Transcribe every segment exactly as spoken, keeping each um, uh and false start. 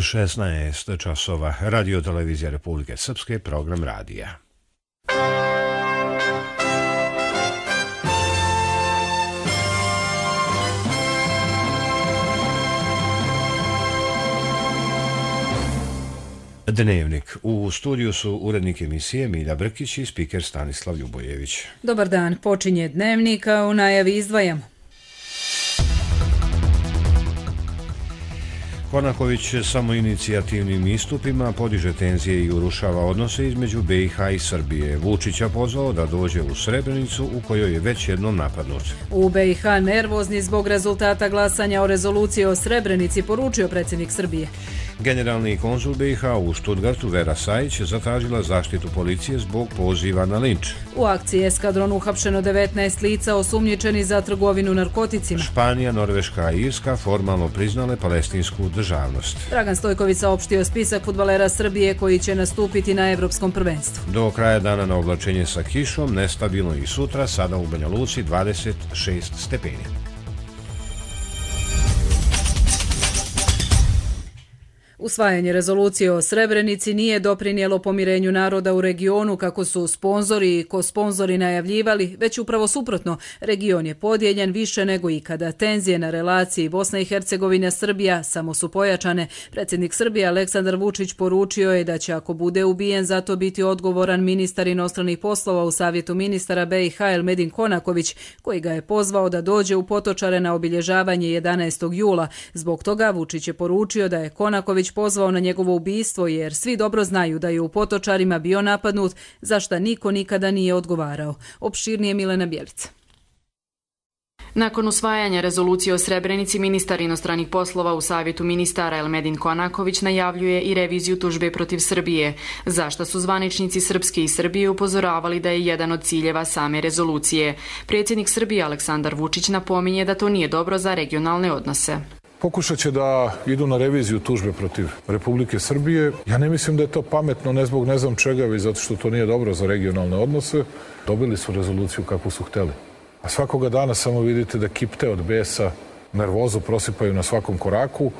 šesnaest časova. Radio televizija Republike Srpske, program radija. Dnevnik. U studiju su urednik emisije Milja Brkić i spiker Stanislav Ljubojević. Dobar dan, počinje Dnevnik, a u najavi izdvajamo. Konaković samoinicijativnim istupima podiže tenzije i urušava odnose između B i H i Srbije. Vučića pozvao da dođe u Srebrenicu u kojoj je već jednom napadnut. U B i H nervozni zbog rezultata glasanja o rezoluciji o Srebrenici, poručio predsjednik Srbije. Generalni konzul B i H u Stuttgartu Vera Sajić zatražila zaštitu policije zbog poziva na linč. U akciji Eskadron uhapšeno devetnaest lica osumnjičeni za trgovinu narkoticima. Španija, Norveška i Irska formalno priznale palestinsku državnost. Dragan Stojković saopštio spisak fudbalera Srbije koji će nastupiti na Evropskom prvenstvu. Do kraja dana na oblačenje sa kišom, nestabilno i sutra, sada u Banja Luci dvadeset šest stepeni. Usvajanje rezolucije o Srebrenici nije doprinijelo pomirenju naroda u regionu kako su sponzori i ko-sponzori najavljivali, već upravo suprotno. Region je podijeljen više nego ikada. Tenzije na relaciji Bosna i Hercegovina Srbija samo su pojačane. Predsjednik Srbije Aleksandar Vučić poručio je da će ako bude ubijen zato biti odgovoran ministar inostranih poslova u Savjetu ministara B i H Elmedin Konaković, koji ga je pozvao da dođe u Potočare na obilježavanje jedanaestog jula. Zbog toga Vučić je poručio da je Konaković pozvao na njegovo ubistvo jer svi dobro znaju da je u Potočarima bio napadnut, za šta niko nikada nije odgovarao. Opširnije Milena Bjelica. Nakon usvajanja rezolucije o Srebrenici, ministar inostranih poslova u Savjetu ministara Elmedin Konaković najavljuje i reviziju tužbe protiv Srbije, za što su zvaničnici Srpske i Srbije upozoravali da je jedan od ciljeva same rezolucije. Predsjednik Srbije Aleksandar Vučić napominje da to nije dobro za regionalne odnose. Pokušat će da idu na reviziju tužbe protiv Republike Srbije. Ja ne mislim da je to pametno, ne zbog ne znam čega, već zato što to nije dobro za regionalne odnose. Dobili su rezoluciju kakvu su hteli. A svakoga dana samo vidite da kipte od besa, nervozu prosipaju na svakom koraku.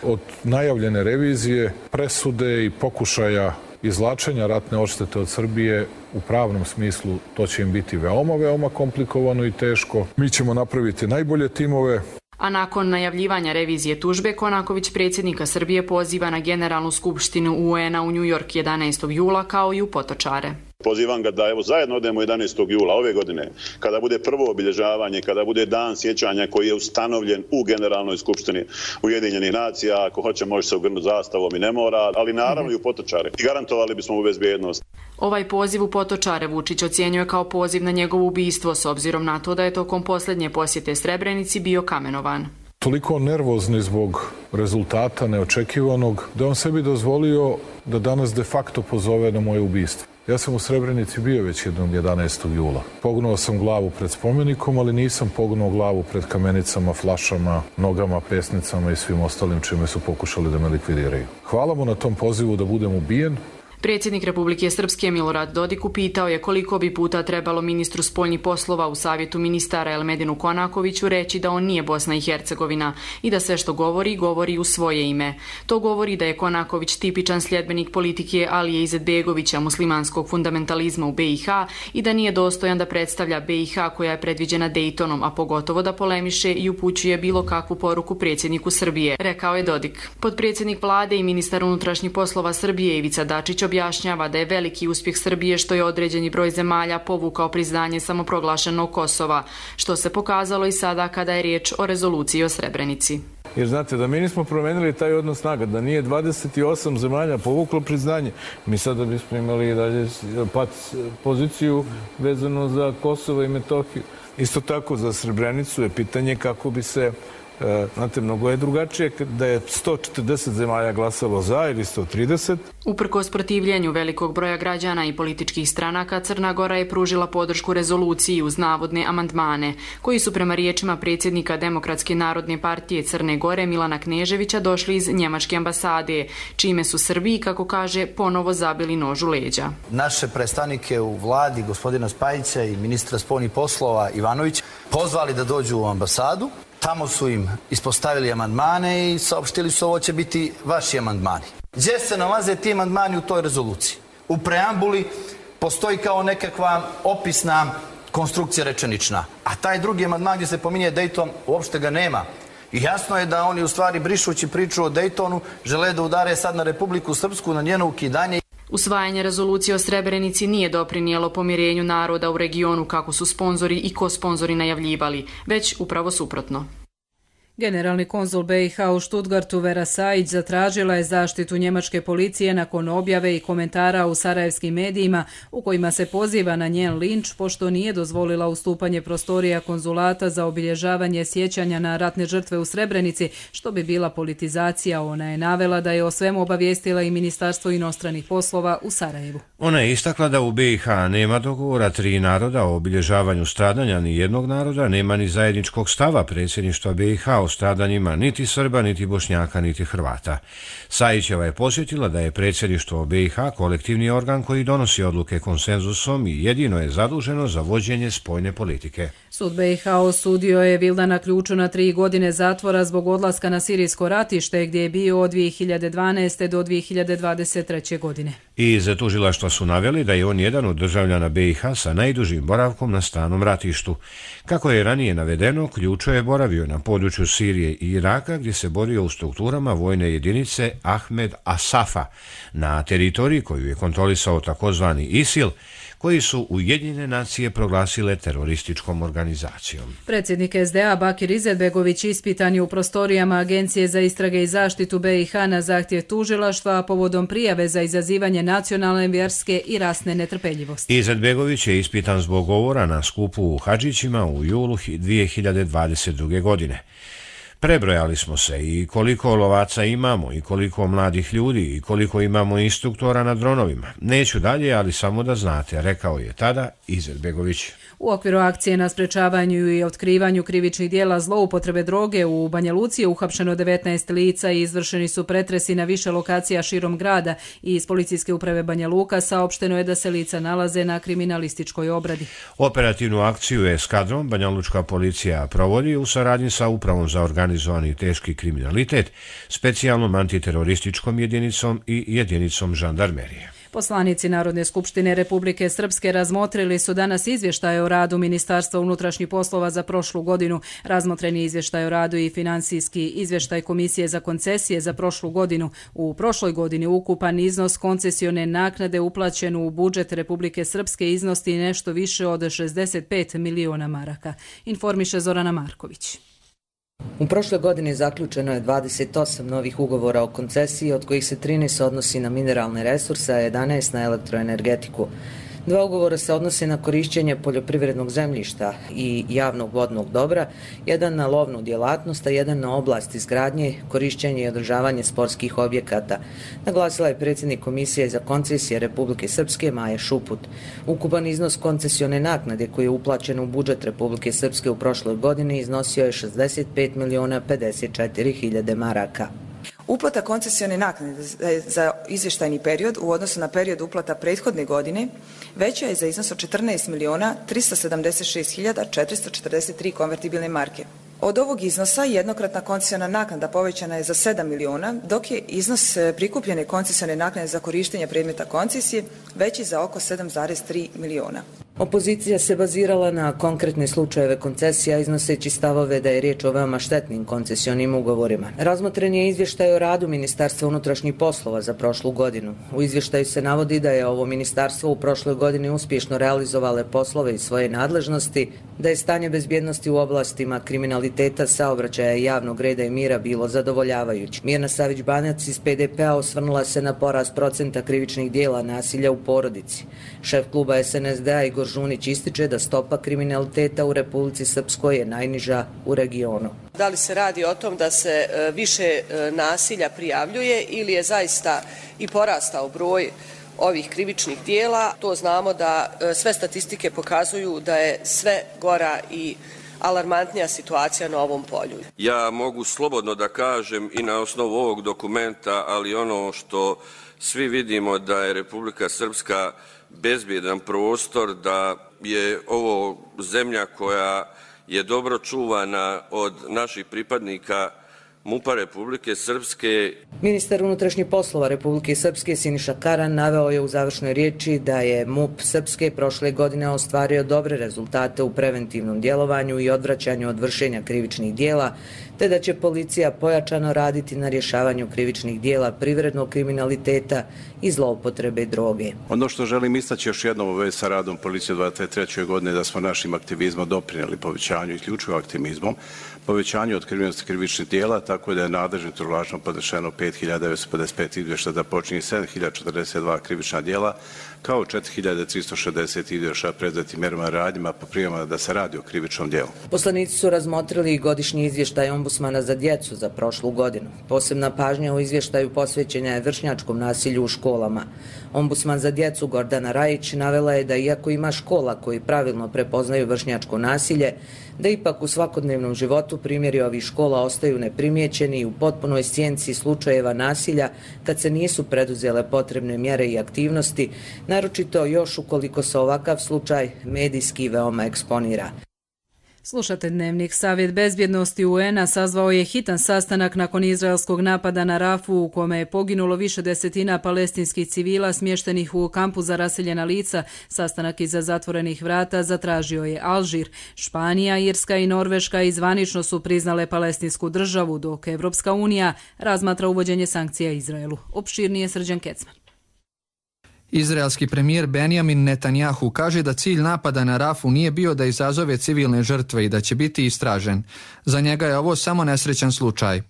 Od najavljene revizije, presude i pokušaja izvlačenja ratne odštete od Srbije u pravnom smislu to će im biti veoma, veoma komplikovano i teško. Mi ćemo napraviti najbolje timove. A nakon najavljivanja revizije tužbe, Konaković predsjednika Srbije poziva na Generalnu skupštinu U En a u New York jedanaestog jula kao i u Potočare. Pozivam ga da evo zajedno odemo jedanaestog jula ove godine, kada bude prvo obilježavanje, kada bude dan sjećanja koji je ustanovljen u Generalnoj skupštini Ujedinjenih nacija. Ako hoće može se ogrnuti zastavom i ne mora, ali naravno i u Potočare. I garantovali bismo mu bezbjednost. Ovaj poziv u Potočare Vučić ocjenjuje kao poziv na njegovo ubistvo s obzirom na to da je tokom posljednje posjete Srebrenici bio kamenovan. Toliko nervozni zbog rezultata neočekivanog da on sebi dozvolio da danas de facto pozove na moje ubistvo. Ja sam u Srebrenici bio već jednom jedanaestog jula. Pognuo sam glavu pred spomenikom, ali nisam pognuo glavu pred kamenicama, flašama, nogama, pesnicama i svim ostalim čime su pokušali da me likvidiraju. Hvala mu na tom pozivu da budem ubijen. Predsjednik Republike Srpske Milorad Dodik upitao je koliko bi puta trebalo ministru spoljnih poslova u Savjetu ministara Elmedinu Konakoviću reći da on nije Bosna i Hercegovina i da sve što govori, govori u svoje ime. To govori da je Konaković tipičan sljedbenik politike Alije Izetbegovića, muslimanskog fundamentalizma u B i H i da nije dostojan da predstavlja B i H koja je predviđena Dejtonom, a pogotovo da polemiše i upućuje bilo kakvu poruku predsjedniku Srbije, rekao je Dodik. Potpredsjednik vlade i ministar unutrašnjih poslova Srbije Ivica Dačić objašnjava da je veliki uspjeh Srbije što je određeni broj zemalja povukao priznanje samoproglašenog Kosova, što se pokazalo i sada kada je riječ o rezoluciji o Srebrenici. Jer znate, da mi nismo promenili taj odnos snaga, da nije dvadeset osam zemalja povuklo priznanje, mi sada bismo imali dalje pat poziciju vezano za Kosovo i Metohiju. Isto tako za Srebrenicu je pitanje kako bi se Znate, mnogo je drugačije da je sto četrdeset zemalja glasalo za ili sto trideset. Uprkos protivljenju velikog broja građana i političkih stranaka, Crna Gora je pružila podršku rezoluciji uz navodne amandmane, koji su prema riječima predsjednika Demokratske narodne partije Crne Gore Milana Kneževića došli iz njemačke ambasade, čime su Srbiji, kako kaže, ponovo zabili nož u leđa. Naše predstavnike u vladi, gospodina Spajića i ministra spoljnih poslova Ivanović, pozvali da dođu u ambasadu Tamo su im ispostavili amandmane i saopštili su ovo će biti vaši amandmani. Gdje se nalaze ti amandmani u toj rezoluciji? U preambuli postoji kao nekakva opisna konstrukcija rečenična, a taj drugi amandman gdje se pominje Dayton uopšte ga nema. I jasno je da oni u stvari brišući priču o Daytonu žele da udare sad na Republiku Srpsku, na njeno ukidanje. Usvajanje rezolucije o Srebrenici nije doprinijelo pomirenju naroda u regionu kako su sponzori i kosponzori najavljivali, već upravo suprotno. Generalni konzul B i H u Stuttgartu Vera Sajić zatražila je zaštitu njemačke policije nakon objave i komentara u sarajevskim medijima u kojima se poziva na njen linč pošto nije dozvolila ustupanje prostorija konzulata za obilježavanje sjećanja na ratne žrtve u Srebrenici, što bi bila politizacija. Ona je navela da je o svemu obavijestila i Ministarstvo inostranih poslova u Sarajevu. Ona je istakla da u B i H nema dogovora tri naroda o obilježavanju stradanja ni jednog naroda, nema ni zajedničkog stava predsjedništva B i H o stradanjima niti Srba, niti Bošnjaka, niti Hrvata. Sajićeva je posjetila da je predsjedništvo B i H kolektivni organ koji donosi odluke konsenzusom i jedino je zaduženo za vođenje spoljne politike. Sud B i H osudio je Vildana Ključu na tri godine zatvora zbog odlaska na sirijsko ratište gdje je bio od dvije hiljade dvanaeste. do dvije hiljade dvadeset treće. godine. Iz tužilaštva su naveli da je on jedan od državljana B i H sa najdužim boravkom na stranom ratištu. Kako je ranije navedeno, Ključo je boravio na području Sirije i Iraka gdje se borio u strukturama vojne jedinice Ahmed Asafa na teritoriji koju je kontrolisao takozvani ISIL, koji su Ujedinjene nacije proglasile terorističkom organizacijom. Predsjednik S D A Bakir Izetbegović ispitan je u prostorijama Agencije za istrage i zaštitu B i H na zahtjev tužilaštva povodom prijave za izazivanje nacionalne, vjerske i rasne netrpeljivosti. Izetbegović je ispitan zbog govora na skupu u Hadžićima u julu dvije hiljade dvadeset druge. godine. Prebrojali smo se i koliko lovaca imamo i koliko mladih ljudi i koliko imamo instruktora na dronovima. Neću dalje, ali samo da znate, rekao je tada Izetbegović. U okviru akcije na sprečavanju i otkrivanju krivičnih dijela zloupotrebe droge u Banja Luci je uhapšeno devetnaest lica i izvršeni su pretresi na više lokacija širom grada. I iz policijske uprave Banja Luka saopšteno je da se lica nalaze na kriminalističkoj obradi. Operativnu akciju eskadrom Banja Lučka policija provodi u saradnji sa Upravom za organizovani teški kriminalitet, specijalnom antiterorističkom jedinicom i jedinicom žandarmerije. Poslanici Narodne skupštine Republike Srpske razmotrili su danas izvještaje o radu Ministarstva unutrašnjih poslova za prošlu godinu. Razmotreni izvještaj o radu i financijski izvještaj Komisije za koncesije za prošlu godinu. U prošloj godini ukupan iznos koncesione naknade uplaćen u budžet Republike Srpske iznosti nešto više od šezdeset pet miliona maraka. Informiše Zorana Marković. U prošloj godini zaključeno je dvadeset osam novih ugovora o koncesiji, od kojih se trinaest odnosi na mineralne resurse, a jedanaest na elektroenergetiku. Dva ugovora se odnose na korišćenje poljoprivrednog zemljišta i javnog vodnog dobra, jedan na lovnu djelatnost, a jedan na oblast izgradnje, korišćenje i održavanje sportskih objekata, naglasila je predsjednik Komisije za koncesije Republike Srpske Maja Šuput. Ukupan iznos koncesione naknade koji je uplaćen u budžet Republike Srpske u prošloj godini iznosio je šezdeset pet miliona pedeset četiri hiljade maraka. Uplata koncesione naknade za izvještajni period u odnosu na period uplata prethodne godine veća je za iznos od četrnaest miliona tristo sedamdeset šest hiljada četiristo četrdeset tri konvertibilne marke. Od ovog iznosa jednokratna koncesiona naknada povećana je za sedam miliona, dok je iznos prikupljene koncesione naknade za korištenje predmeta koncesije veći za oko sedam zarez tri miliona. Opozicija se bazirala na konkretne slučajeve koncesija, iznoseći stavove da je riječ o veoma štetnim koncesionim ugovorima. Razmotren je izvještaj o radu Ministarstva unutrašnjih poslova za prošlu godinu. U izvještaju se navodi da je ovo ministarstvo u prošloj godini uspješno realizovale poslove iz svoje nadležnosti, da je stanje bezbjednosti u oblastima kriminaliteta, saobraćaja i javnog reda i mira bilo zadovoljavajuće. Mirna Savić-Banac iz P D P-a osvrnula se na porast procenta krivičnih dijela nasilja u porodici. Šef kluba S N S D-a Igor Žunić ističe da stopa kriminaliteta u Republici Srpskoj je najniža u regionu. Da li se radi o tom da se više nasilja prijavljuje ili je zaista i porastao broj ovih krivičnih dijela? To znamo da sve statistike pokazuju da je sve gora i alarmantnija situacija na ovom polju. Ja mogu slobodno da kažem i na osnovu ovog dokumenta, ali ono što svi vidimo da je Republika Srpska bezbjedan prostor, da je ovo zemlja koja je dobro čuvana od naših pripadnika MUP-a Republike Srpske. Ministar unutrašnjih poslova Republike Srpske Siniša Karan naveo je u završnoj riječi da je MUP Srpske prošle godine ostvario dobre rezultate u preventivnom djelovanju i odvraćanju od vršenja krivičnih dijela, te da će policija pojačano raditi na rješavanju krivičnih dijela privrednog kriminaliteta i zloupotrebe droge. Ono što želim istaći još jednom u vezi sa radom policije u dvadeset trećoj godine da smo našim aktivizmom doprinijeli povećanju i isključivo aktivizmom, povećanju otkrivenosti krivičnih dijela, tako da je nadležnim tužilaštvom podnešeno pet hiljada devetsto pedeset pet izvještaja da počini sedam hiljada četrdeset dva krivična dijela, kao četiri hiljade tristo šezdeset izvještaja predatim mjerama radnjama po prijavama da se radi o krivičnom dijelu. Poslanici su razmotrili i godišnji izvještaj ombudsmana za djecu za prošlu godinu. Posebna pažnja u izvještaju posvećena je vršnjačkom nasilju u školama. Ombudsman za djecu Gordana Rajić navela je da iako ima škola koji pravilno prepoznaju vršnjačko nasilje, da ipak u svakodnevnom životu primjeri ovih škola ostaju neprimjećeni i u potpunoj sjenci slučajeva nasilja kad se nisu preduzele potrebne mjere i aktivnosti, naročito još ukoliko se ovakav slučaj medijski veoma eksponira. Slušate Dnevnik. Savjet bezbjednosti U N-a sazvao je hitan sastanak nakon izraelskog napada na Rafu u kome je poginulo više desetina palestinskih civila smještenih u kampu za raseljena lica. Sastanak iza zatvorenih vrata zatražio je Alžir. Španija, Irska i Norveška izvanično su priznale palestinsku državu, dok Evropska unija razmatra uvođenje sankcija Izraelu. Opširnije Srđan Kecman. Izraelski premijer Benjamin Netanjahu kaže da cilj napada na Rafu nije bio da izazove civilne žrtve i da će biti istražen. Za njega je ovo samo nesrećan slučaj.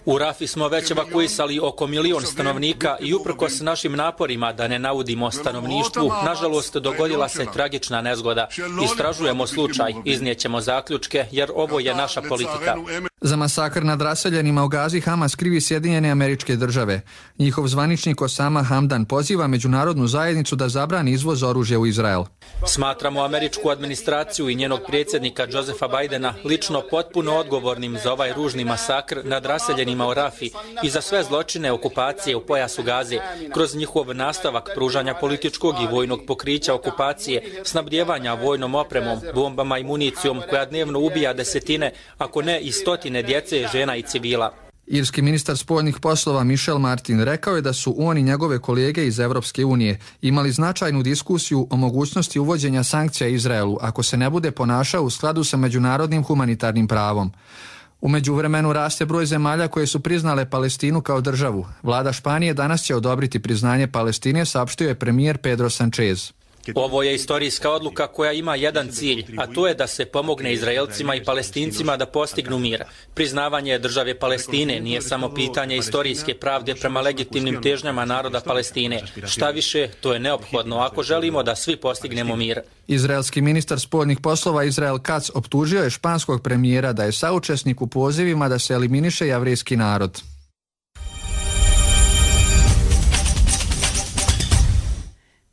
U Rafi smo već evakuisali oko milion stanovnika i uprkos našim naporima da ne naudimo stanovništvu, nažalost dogodila se tragična nezgoda. Istražujemo slučaj, iznijećemo zaključke jer ovo je naša politika. Za masakr nad raseljenima u Gazi Hamas krivi Sjedinjene Američke Države. Njihov zvaničnik Osama Hamdan poziva međunarodnu zajednicu da zabrani izvoz oružja u Izrael. Smatramo američku administraciju i njenog predsjednika Josefa Bidena lično potpuno odgovornim za ovaj ružni masakr nad raseljenima u Rafi i za sve zločine okupacije u pojasu Gaze, kroz njihov nastavak pružanja političkog i vojnog pokrića okupacije, snabdjevanja vojnom opremom, bombama i municijom koja dnevno ubija desetine, ako ne i stotine djece, žena i civila. Irski ministar spoljnih poslova Michel Martin rekao je da su on i njegove kolege iz Evropske unije imali značajnu diskusiju o mogućnosti uvođenja sankcija Izraelu ako se ne bude ponašao u skladu sa međunarodnim humanitarnim pravom. U međuvremenu raste broj zemalja koje su priznale Palestinu kao državu. Vlada Španije danas će odobriti priznanje Palestine, saopštio je premijer Pedro Sanchez. Ovo je istorijska odluka koja ima jedan cilj, a to je da se pomogne Izraelcima i Palestincima da postignu mir. Priznavanje države Palestine nije samo pitanje istorijske pravde prema legitimnim težnjama naroda Palestine. Šta više, to je neophodno ako želimo da svi postignemo mir. Izraelski ministar spoljnih poslova Israel Katz optužio je španskog premijera da je saučesnik u pozivima da se eliminiše jevrejski narod.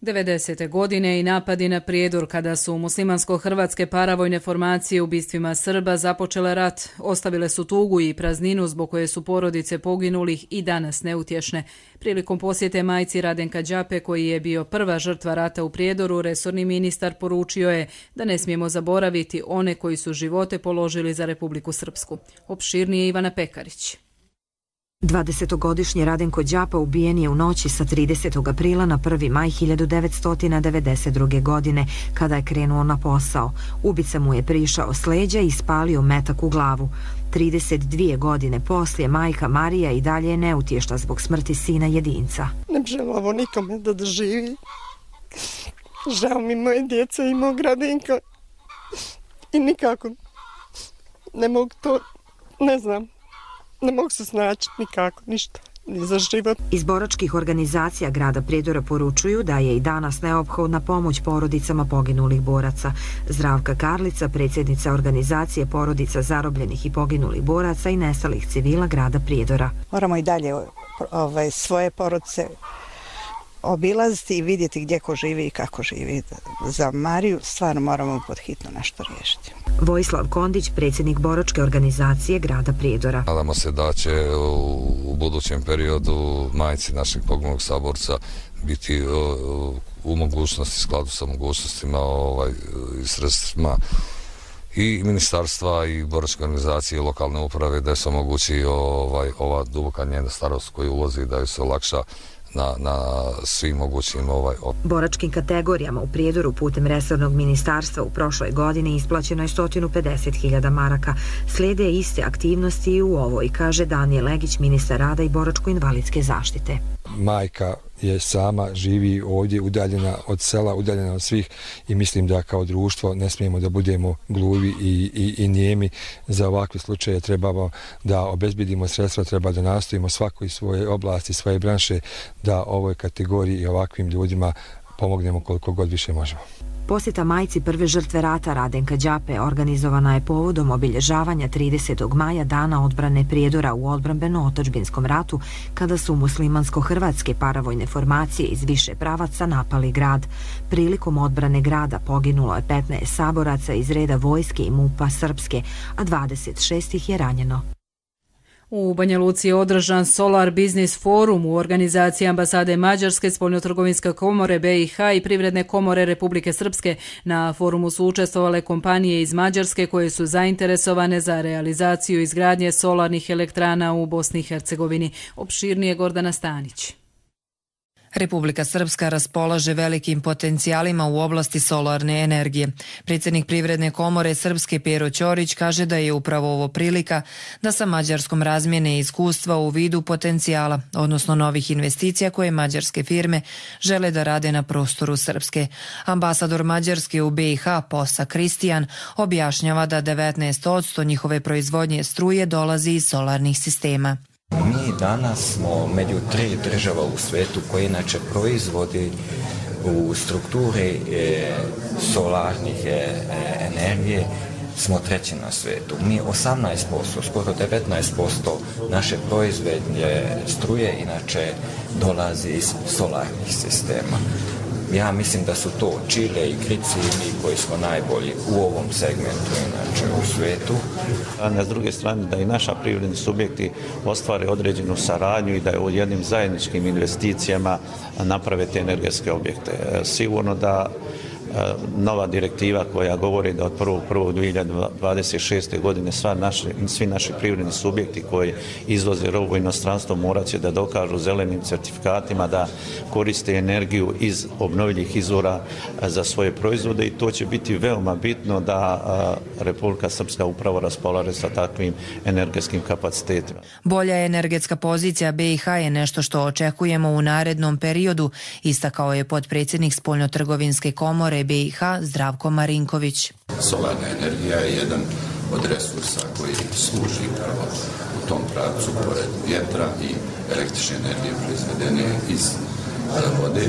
devedesete godine i napadi na Prijedor kada su muslimansko-hrvatske paravojne formacije ubistvima Srba započele rat, ostavile su tugu i prazninu zbog koje su porodice poginulih i danas neutješne. Prilikom posjete majci Radenka Đape, koji je bio prva žrtva rata u Prijedoru, resorni ministar poručio je da ne smijemo zaboraviti one koji su živote položili za Republiku Srpsku. Opširnije Ivana Pekarić. dvadesetogodišnji Radenko Đapa ubijen je u noći sa tridesetog aprila na prvi maj hiljadu devetsto devedeset druge. godine, kada je krenuo na posao. Ubica mu je prišao s leđa i ispalio metak u glavu. trideset dvije godine poslije majka Marija i dalje je neutješna zbog smrti sina jedinca. Ne želim ovo nikome da doživi. Žao mi moje djece i mog Radenka. I nikako ne mogu to, ne znam. Ne mogu se snaći nikako, ništa, ni za život. Iz boračkih organizacija grada Prijedora poručuju da je i danas neophodna pomoć porodicama poginulih boraca. Zdravka Karlica, predsjednica organizacije porodica zarobljenih i poginulih boraca i nestalih civila grada Prijedora. Moramo i dalje ovaj, svoje porodice obilaziti i vidjeti gdje ko živi i kako živi. Za Mariju stvarno moramo pod hitno nešto riješiti. Vojislav Kondić, predsjednik boračke organizacije grada Prijedora. Nadamo se da će u budućem periodu majci našeg poginulog saborca biti u mogućnosti, skladu sa mogućnostima ovaj, i sredstvima i ministarstva i boračke organizacije i lokalne uprave da se omogući ovaj, ova duboka njena starost koju ulazi, da ju se olakša na, na svim mogućim ovaj... boračkim kategorijama u Prijedoru putem resornog ministarstva u prošloj godini isplaćeno je sto pedeset hiljada maraka. Slijede iste aktivnosti i u ovoj, kaže Danijel Legić, ministar rada i boračko-invalidske zaštite. Majka je sama, živi ovdje, udaljena od sela, udaljena od svih i mislim da kao društvo ne smijemo da budemo gluvi i, i, i nijemi. Za ovakve slučaje trebamo da obezbedimo sredstva, treba da nastojimo svako iz svoje oblasti, svoje branše, da ovoj kategoriji i ovakvim ljudima pomognemo koliko god više možemo. Posjeta majci prve žrtve rata Radenka Đape organizovana je povodom obilježavanja tridesetog maja Dana odbrane Prijedora u odbrambeno-otadžbinskom ratu, kada su muslimansko-hrvatske paravojne formacije iz više pravaca napali grad. Prilikom odbrane grada poginulo je petnaest saboraca iz reda vojske i MUP-a Srpske, a dvadeset šest ih je ranjeno. U Banja Luci je održan Solar Business Forum u organizaciji ambasade Mađarske, Spoljnotrgovinske komore B i H i Privredne komore Republike Srpske. Na forumu su učestvovale kompanije iz Mađarske koje su zainteresovane za realizaciju izgradnje solarnih elektrana u Bosni i Hercegovini. Opširnije Gordana Stanić. Republika Srpska raspolaže velikim potencijalima u oblasti solarne energije. Predsjednik Privredne komore Srpske Pero Ćorić kaže da je upravo ovo prilika da sa Mađarskom razmjene iskustva u vidu potencijala, odnosno novih investicija koje mađarske firme žele da rade na prostoru Srpske. Ambasador Mađarske u B i H Posa Kristijan objašnjava da devetnaest posto njihove proizvodnje struje dolazi iz solarnih sistema. Mi danas smo među tri država u svijetu koje inače proizvodi u strukturi e, solarnih e, energije, smo treći na svijetu. Mi osamnaest posto, skoro devetnaest posto naše proizvodnje struje inače dolazi iz solarnih sistema. Ja mislim da su to Čile i Grici i mi koji smo najbolji u ovom segmentu inače u svijetu. A s druge strane da i naša privredni subjekti ostvare određenu saradnju i da je u jednim zajedničkim investicijama naprave te energetske objekte. Sigurno da nova direktiva koja govori da od prvog prvog dvije hiljade dvadeset šeste. godine sva naši, svi naši privredni subjekti koji izvoze robu u inostranstvo morat će da dokažu zelenim certifikatima da koriste energiju iz obnovljivih izvora za svoje proizvode i to će biti veoma bitno da Republika Srpska upravo raspolaže sa takvim energetskim kapacitetima. Bolja energetska pozicija B i H je nešto što očekujemo u narednom periodu, istakao je potpredsjednik Spoljnotrgovinske komore B i H Zdravko Marinković. Solarna energija je jedan od resursa koji služi upravo u tom pravcu pored vjetra i električne energije proizvedene iz vode,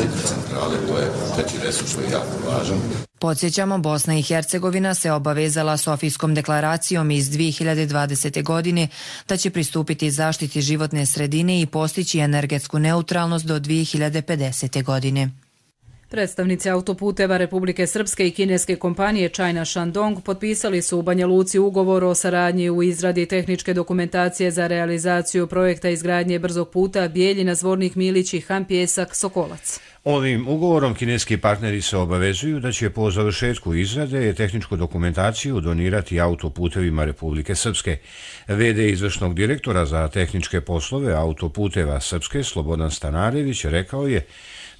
hidrocentrale, to je treći resurs koji je jako važan. Podsjećamo, Bosna i Hercegovina se obavezala Sofijskom deklaracijom iz dvije hiljade dvadesete. godine da će pristupiti zaštiti životne sredine i postići energetsku neutralnost do dvije hiljade pedesete. godine. Predstavnici autoputeva Republike Srpske i kineske kompanije China Shandong potpisali su u Banja Luci ugovor o saradnji u izradi tehničke dokumentacije za realizaciju projekta izgradnje brzog puta Bijeljina-Zvornik Milić i Han-Pjesak-Sokolac. Ovim ugovorom kineski partneri se obavezuju da će po završetku izrade tehničku dokumentaciju donirati autoputevima Republike Srpske. V D izvršnog direktora za tehničke poslove autoputeva Srpske Slobodan Stanarević rekao je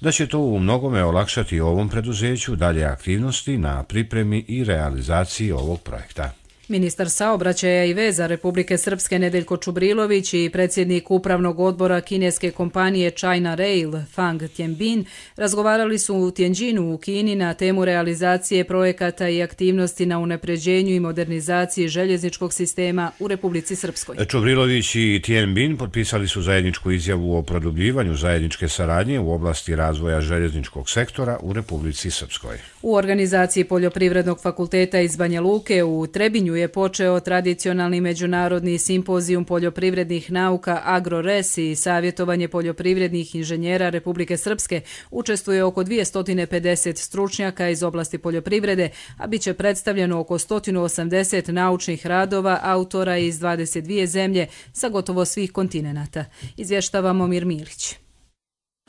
da će to u mnogome olakšati ovom preduzeću dalje aktivnosti na pripremi i realizaciji ovog projekta. Ministar saobraćaja i veza Republike Srpske Nedeljko Čubrilović i predsjednik upravnog odbora kineske kompanije China Rail Fang Tianbin razgovarali su u Tianjinu u Kini na temu realizacije projekata i aktivnosti na unapređenju i modernizaciji željezničkog sistema u Republici Srpskoj. Čubrilović i Tianbin potpisali su zajedničku izjavu o produbljivanju zajedničke saradnje u oblasti razvoja željezničkog sektora u Republici Srpskoj. U organizaciji Poljoprivrednog fakulteta iz Banja Luke u Trebinju je počeo tradicionalni međunarodni simpozijum poljoprivrednih nauka AgroRes i savjetovanje poljoprivrednih inženjera Republike Srpske. Učestvuje oko dvjesto pedeset stručnjaka iz oblasti poljoprivrede, a bit će predstavljeno oko sto osamdeset naučnih radova autora iz dvadeset dvije zemlje sa gotovo svih kontinenata. Izvještava Momir Milić.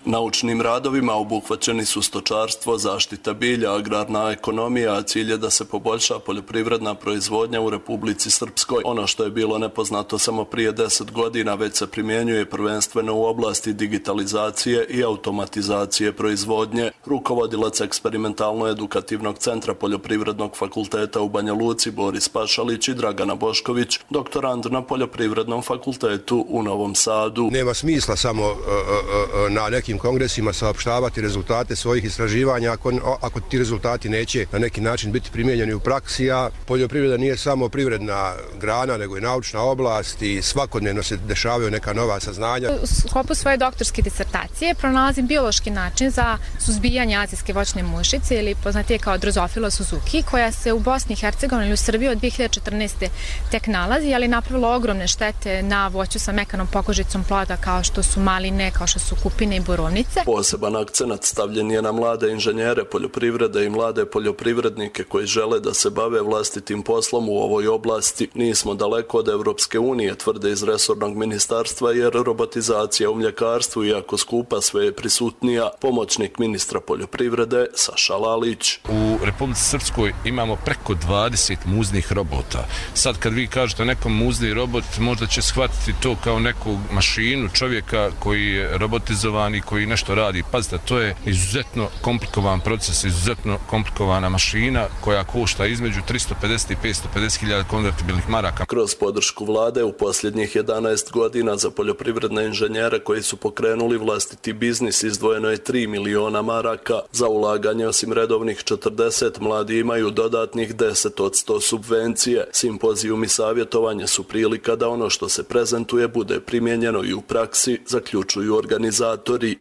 Naučnim radovima obuhvaćeni su stočarstvo, zaštita bilja, agrarna ekonomija, a cilj je da se poboljša poljoprivredna proizvodnja u Republici Srpskoj. Ono što je bilo nepoznato samo prije deset godina već se primjenjuje prvenstveno u oblasti digitalizacije i automatizacije proizvodnje. Rukovodilac eksperimentalno-edukativnog centra Poljoprivrednog fakulteta u Banja Luci Boris Pašalić i Dragana Bošković, doktorand na Poljoprivrednom fakultetu u Novom Sadu. Nema smisla samo uh, uh, na nekim kongresima saopštavati rezultate svojih istraživanja ako, ako ti rezultati neće na neki način biti primijenjeni u praksi, a poljoprivreda nije samo privredna grana, nego i naučna oblast i svakodnevno se dešavaju neka nova saznanja. U sklopu svoje doktorske disertacije pronalazim biološki način za suzbijanje azijske voćne mušice ili poznatije kao Drosophila suzuki, koja se u Bosni i Hercegovini i u Srbiji od dvije hiljade četrnaeste. tek nalazi, ali napravilo ogromne štete na voću sa mekanom pokožicom ploda kao što su maline, kao što su kupine i borovnice. Poseban akcenat stavljen je na mlade inženjere poljoprivrede i mlade poljoprivrednike koji žele da se bave vlastitim poslom u ovoj oblasti. Nismo daleko od Evropske unije, tvrde iz resornog ministarstva, jer robotizacija u mljekarstvu, iako skupa, sve je prisutnija. Pomoćnik ministra poljoprivrede Saša Lalić. U Republici Srpskoj imamo preko dvadeset muznih robota. Sad kad vi kažete nekom muzni robot, možda će shvatiti to kao neku mašinu, čovjeka koji je robotizovan i koji nešto radi. Pazite, to je izuzetno komplikovan proces, izuzetno komplikovana mašina koja košta između tristo pedeset i petsto pedeset hiljada konvertibilnih maraka. Kroz podršku vlade u posljednjih jedanaest godina za poljoprivredne inženjere koji su pokrenuli vlastiti biznis izdvojeno je tri miliona maraka. Za ulaganje osim redovnih četrdeset, mladi imaju dodatnih deset od sto subvencije. Simpozijum i savjetovanje su prilika da ono što se prezentuje bude primijenjeno i u praksi, zaključuju organizatori.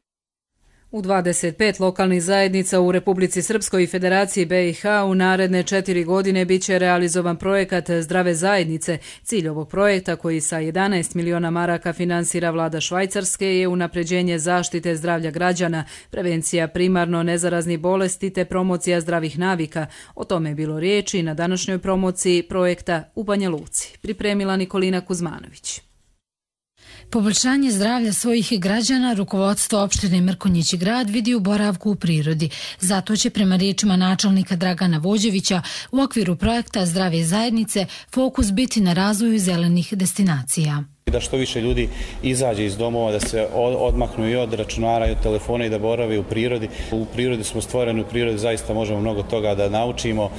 U dvadeset pet lokalnih zajednica u Republici Srpskoj i Federaciji B i H u naredne četiri godine bit će realizovan projekat Zdrave zajednice. Cilj ovog projekta, koji sa jedanaest miliona maraka finansira vlada Švajcarske, je unapređenje zaštite zdravlja građana, prevencija primarno nezaraznih bolesti te promocija zdravih navika. O tome je bilo riječi na današnjoj promociji projekta u Banja Luci. Pripremila Nikolina Kuzmanović. Poboljšanje zdravlja svojih građana rukovodstvo opštine Mrkonjići Grad vidi u boravku u prirodi. Zato će, prema riječima načelnika Dragana Vođevića, u okviru projekta Zdrave zajednice fokus biti na razvoju zelenih destinacija. Da što više ljudi izađe iz domova, da se odmaknu i od računara i od telefona i da borave u prirodi. U prirodi smo stvoreni, u prirodi zaista možemo mnogo toga da naučimo,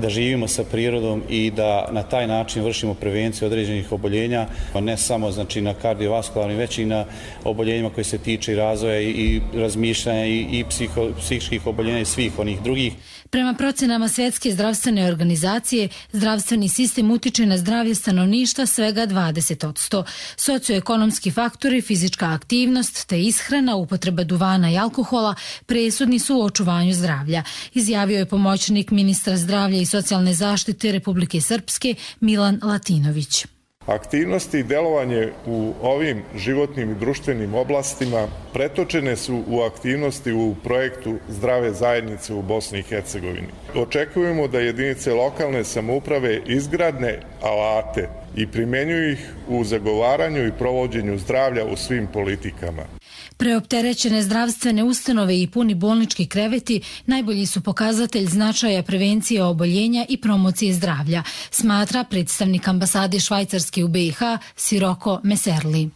da živimo sa prirodom i da na taj način vršimo prevenciju određenih oboljenja, ne samo znači na kardiovaskularnim, već i na oboljenjima koji se tiče razvoja i razmišljanja i, i psiho, psihičkih oboljenja i svih onih drugih. Prema procenama Svjetske zdravstvene organizacije, zdravstveni sistem utiče na zdravlje stanovništva svega dvadeset posto. Socioekonomski faktori, fizička aktivnost te ishrana, upotreba duvana i alkohola presudni su u očuvanju zdravlja, izjavio je pomoćnik ministra zdravlja i socijalne zaštite Republike Srpske Milan Latinović. Aktivnosti i delovanje u ovim životnim i društvenim oblastima pretočene su u aktivnosti u projektu Zdrave zajednice u Bosni i Hercegovini. Očekujemo da jedinice lokalne samouprave izgradne alate i primjenjuju ih u zagovaranju i provođenju zdravlja u svim politikama. Preopterećene zdravstvene ustanove i puni bolnički kreveti najbolji su pokazatelj značaja prevencije oboljenja i promocije zdravlja, smatra predstavnik ambasade Švajcarske u B i H Siroko Meserli.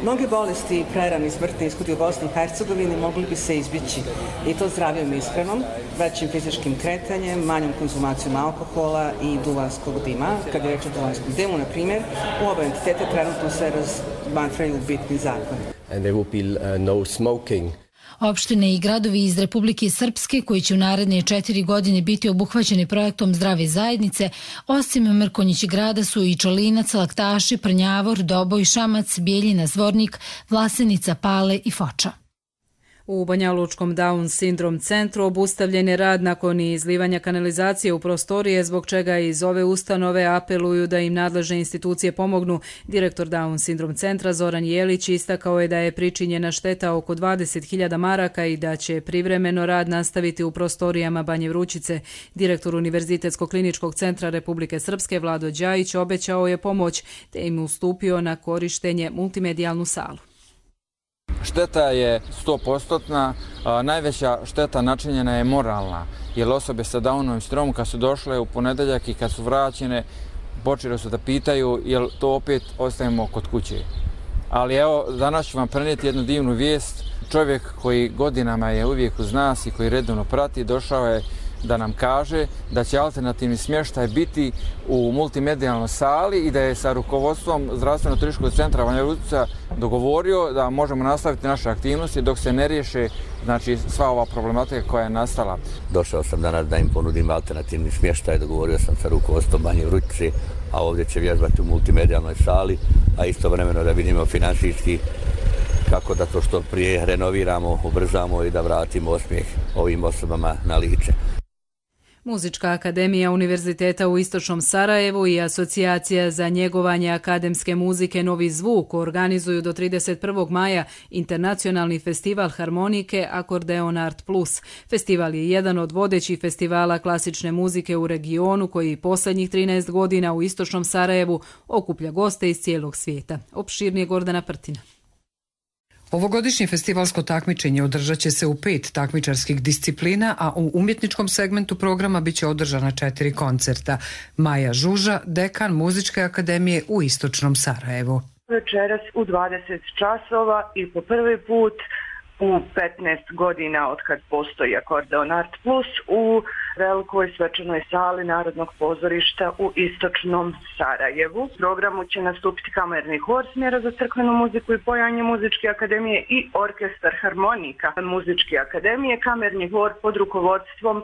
Mnoge bolesti, prerani smrtni ishodi u Bosni i Hercegovini mogli bi se izbjeći, i to zdravijom ishranom, većim fizičkim kretanjem, manjom konzumacijom alkohola i duvanskog dima. Kad je reč o duvanskom dimu, na primjer, u oba entiteta trenutno se razmatraju bitni zakoni. And there will be uh, no smoking. Opštine i gradovi iz Republike Srpske, koji će u naredne četiri godine biti obuhvaćeni projektom Zdrave zajednice, osim Mrkonjići Grada su i Čolinac, Laktaši, Prnjavor, Doboj, Šamac, Bijeljina, Zvornik, Vlasenica, Pale i Foča. U Banjalučkom Down sindrom centru obustavljen je rad nakon izlivanja kanalizacije u prostorije, zbog čega iz ove ustanove apeluju da im nadležne institucije pomognu. Direktor Down sindrom centra Zoran Jelić istakao je da je pričinjena šteta oko dvadeset hiljada maraka i da će privremeno rad nastaviti u prostorijama Banje Vrućice. Direktor Univerzitetskog kliničkog centra Republike Srpske Vlado Đajić obećao je pomoć te im ustupio na korištenje multimedijalnu salu. Šteta je sto posto, najveća šteta načinjena je moralna, jer osobe sa Downovim sindromom kad su došle u ponedeljak i kad su vraćene, počeli su da pitaju jel to opet ostajemo kod kuće. Ali evo, danas ću vam prenijeti jednu divnu vijest. Čovjek koji godinama je uvijek uz nas i koji redovno prati, došao je da nam kaže da će alternativni smještaj biti u multimedijalnoj sali i da je sa rukovodstvom Zdravstveno-turističkog centra Banja Luka dogovorio da možemo nastaviti naše aktivnosti dok se ne riješe, znači, sva ova problematika koja je nastala. Došao sam danas da im ponudim alternativni smještaj, dogovorio sam sa rukovodstvom Banje Luke, a ovdje će vježbati u multimedijalnoj sali, a istovremeno da vidimo financijski kako da to što prije renoviramo, ubrzamo i da vratimo osmijeh ovim osobama na lice. Muzička akademija Univerziteta u Istočnom Sarajevu i Asocijacija za njegovanje akademske muzike Novi zvuk organizuju do trideset prvog maja internacionalni festival harmonike Akordeon Art Plus. Festival je jedan od vodećih festivala klasične muzike u regionu koji posljednjih trinaest godina u Istočnom Sarajevu okuplja goste iz cijelog svijeta. Opširnije Gordana Prtina. Ovogodišnje festivalsko takmičenje održat će se u pet takmičarskih disciplina, a u umjetničkom segmentu programa biće održana četiri koncerta. Maja Žuža, dekan Muzičke akademije u Istočnom Sarajevu. Večeras u dvadeset časova i po prvi put u petnaest godina od kad postoji Akordeon Art Plus u velikoj svečanoj sali Narodnog pozorišta u Istočnom Sarajevu. U programu će nastupiti kamerni hor smjera za crkvenu muziku i pojanje Muzičke akademije i orkestar harmonika Muzičke akademije, kamerni hor pod rukovodstvom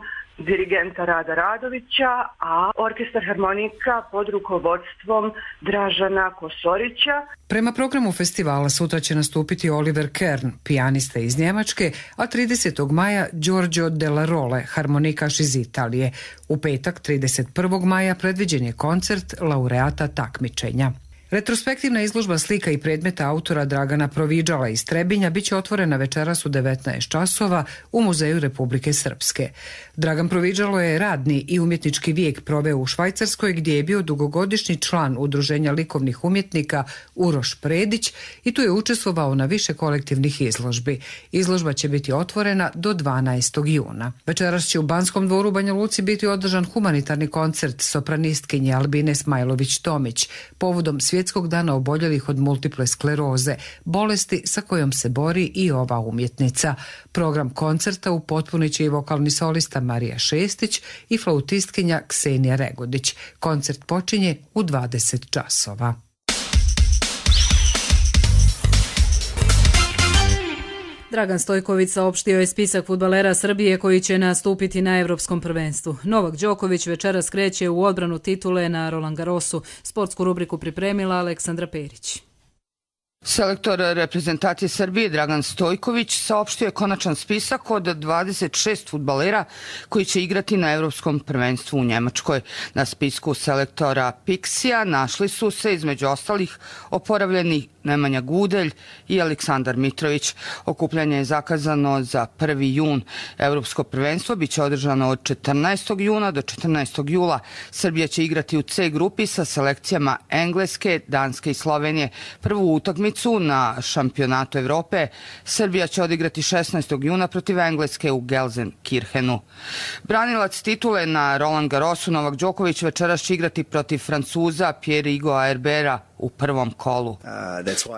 dirigenta Rada Radovića, a orkestar harmonika pod rukovodstvom Dražana Kosorića. Prema programu festivala sutra će nastupiti Oliver Kern, pijanista iz Njemačke, a tridesetog maja Giorgio Della Role, harmonikaš iz Italije. U petak trideset prvog maja predviđen je koncert laureata takmičenja. Retrospektivna izložba slika i predmeta autora Dragana Proviđala iz Trebinja biće otvorena večeras u devetnaest časova u Muzeju Republike Srpske. Dragan Proviđalo je radni i umjetnički vijek proveo u Švajcarskoj, gdje je bio dugogodišnji član Udruženja likovnih umjetnika Uroš Predić i tu je učestvovao na više kolektivnih izložbi. Izložba će biti otvorena do dvanaestog juna. Večeras će u Banskom dvoru u Banja Luci biti održan humanitarni koncert sopranistkinje Albine Smajlović-Tomić povodom Svjetskog dana oboljelih od multiple skleroze, bolesti sa kojom se bori i ova umjetnica. Program koncerta upotpunit će i vokalni solista Marija Šestić i flautistkinja Ksenija Regodić. Koncert počinje u dvadeset časova. Dragan Stojković saopštio je spisak fudbalera Srbije koji će nastupiti na Evropskom prvenstvu. Novak Đoković večeras kreće u odbranu titule na Roland Garrosu. Sportsku rubriku pripremila Aleksandra Perić. Selektor reprezentacije Srbije Dragan Stojković saopštio je konačan spisak od dvadeset šest fudbalera koji će igrati na Evropskom prvenstvu u Njemačkoj. Na spisku selektora Pixija našli su se između ostalih oporavljeni Nemanja Gudelj i Aleksandar Mitrović. Okupljanje je zakazano za prvi jun. Evropsko prvenstvo biće održano od četrnaestog juna do četrnaestog jula. Srbija će igrati u C grupi sa selekcijama Engleske, Danske i Slovenije. Prvu utakmicu na šampionatu Evrope Srbija će odigrati šesnaestog juna protiv Engleske u Gelsenkirchenu. Branilac titule na Roland Garrosu Novak Đoković večeras će igrati protiv Francuza Pierre-Hugues Herbera u prvom kolu.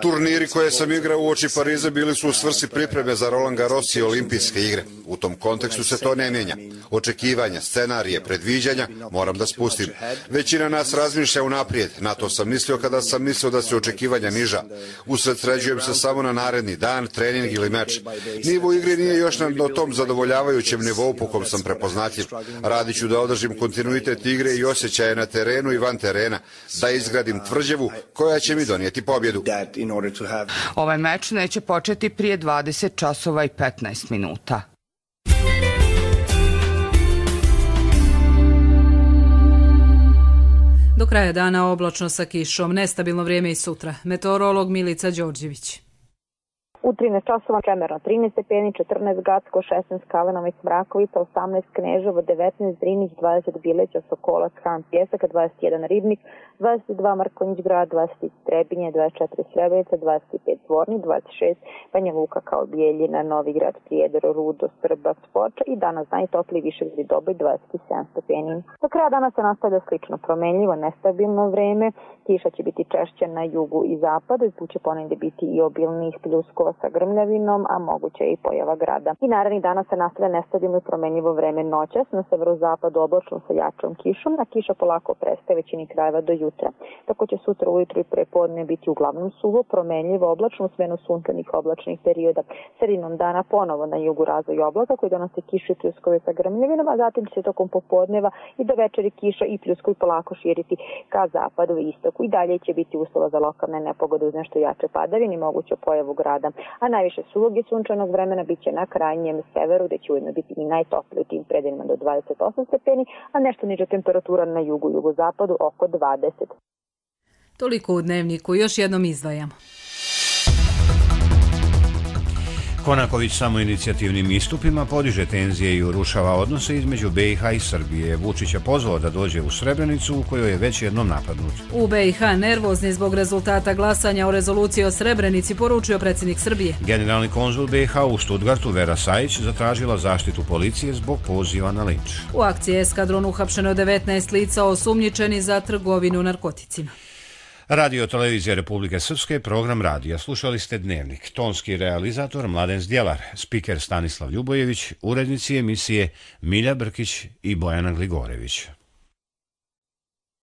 Turniri koje sam igrao uoči Pariza bili su u svrsi pripreme za Roland Garros i olimpijske igre. U tom kontekstu se to ne mijenja. Očekivanja, scenarije, predviđanja moram da spustim. Većina nas razmišlja unaprijed. Na to sam mislio kada sam mislio da se očekivanja niža. Usredsređujem se samo na naredni dan, trening ili meč. Nivo igre nije još na tom zadovoljavajućem nivou po kom sam prepoznatljiv. Radit ću da održim kontinuitet igre i osjećaje na terenu i van terena. Da izgradim tvrđavu koja će mi donijeti pobjedu. Ovaj meč neće početi prije dvadeset časova i petnaest minuta. Do kraja dana oblačno sa kišom, nestabilno vrijeme i sutra. Meteorolog Milica Đorđević. U trinaest časova Čemerno trinaest stepeni, četrnaest Gacko, šesnaest Kalenovac, Mrakovica, osamnaest Kneževo, devetnaest Drinić, dvadeset Bileća, Sokolac, Han, Pjesak, dvadeset jedan Ribnik, dvadeset dva Markonjić Grad, dvadeset Trebinje, dvadeset četiri Srebrenica, dvadeset pet Zvornik, dvadeset šest Banja Luka kao Bijeljina, Novigrad, Prijedor, Rudo, Srba, Foča i danas najtopliji Višegrad i Doboj, dvadeset sedam stepeni. Do kraja dana se nastavlja slično promenljivo, nestabilno vreme, kiša će biti češća na jugu i zapadu i put će ponegde biti i obilnih pljuskova sa grmljavinom, a moguće je i pojava grada. I narednih dana se nastavlja nestabilno i promenljivo vreme noćas, na severozapadu oblačno sa jačom kišom, a kiša polako prestaje većini krajeva do jutra. Tako će sutra ujutro i prepodne biti uglavnom suvo, promenljivo, oblačno, smenu sunčanih oblačnih perioda. Sredinom dana ponovo na jugu razvoj oblaka koji donose kišu i pljuskove sa grmljavinom, a zatim će se tokom popodneva i do večeri kiša i pljuskovi polako širiti ka zapadu i istoku. I dalje će biti uslova za lokalne nepogode uz nešto jače padavine i moguću pojavu grada. A najviše suvog i sunčanog vremena bit će na krajnjem severu, gde će ujedno biti i najtoplije u tim predelima do dvadeset osam stepeni, a nešto niža temperatura na jugu i jugozapadu oko dvadeset. Toliko u Dnevniku, još jednom izdvajamo. Konaković samoinicijativnim istupima podiže tenzije i urušava odnose između B i H i Srbije. Vučić je pozvao da dođe u Srebrenicu u kojoj je već jednom napadnut. U B i H nervozni zbog rezultata glasanja o rezoluciji o Srebrenici, poručio predsjednik Srbije. Generalni konzul B i H u Stuttgartu Vera Sajić zatražila zaštitu policije zbog poziva na linč. U akciji Eskadron uhapšeno devetnaest lica osumnjičeni za trgovinu narkoticima. Radio televizija Republike Srpske, program radija. Slušali ste Dnevnik. Tonski realizator Mladen Zdjelar, spiker Stanislav Ljubojević, urednici emisije Milja Brkić i Bojana Gligorević.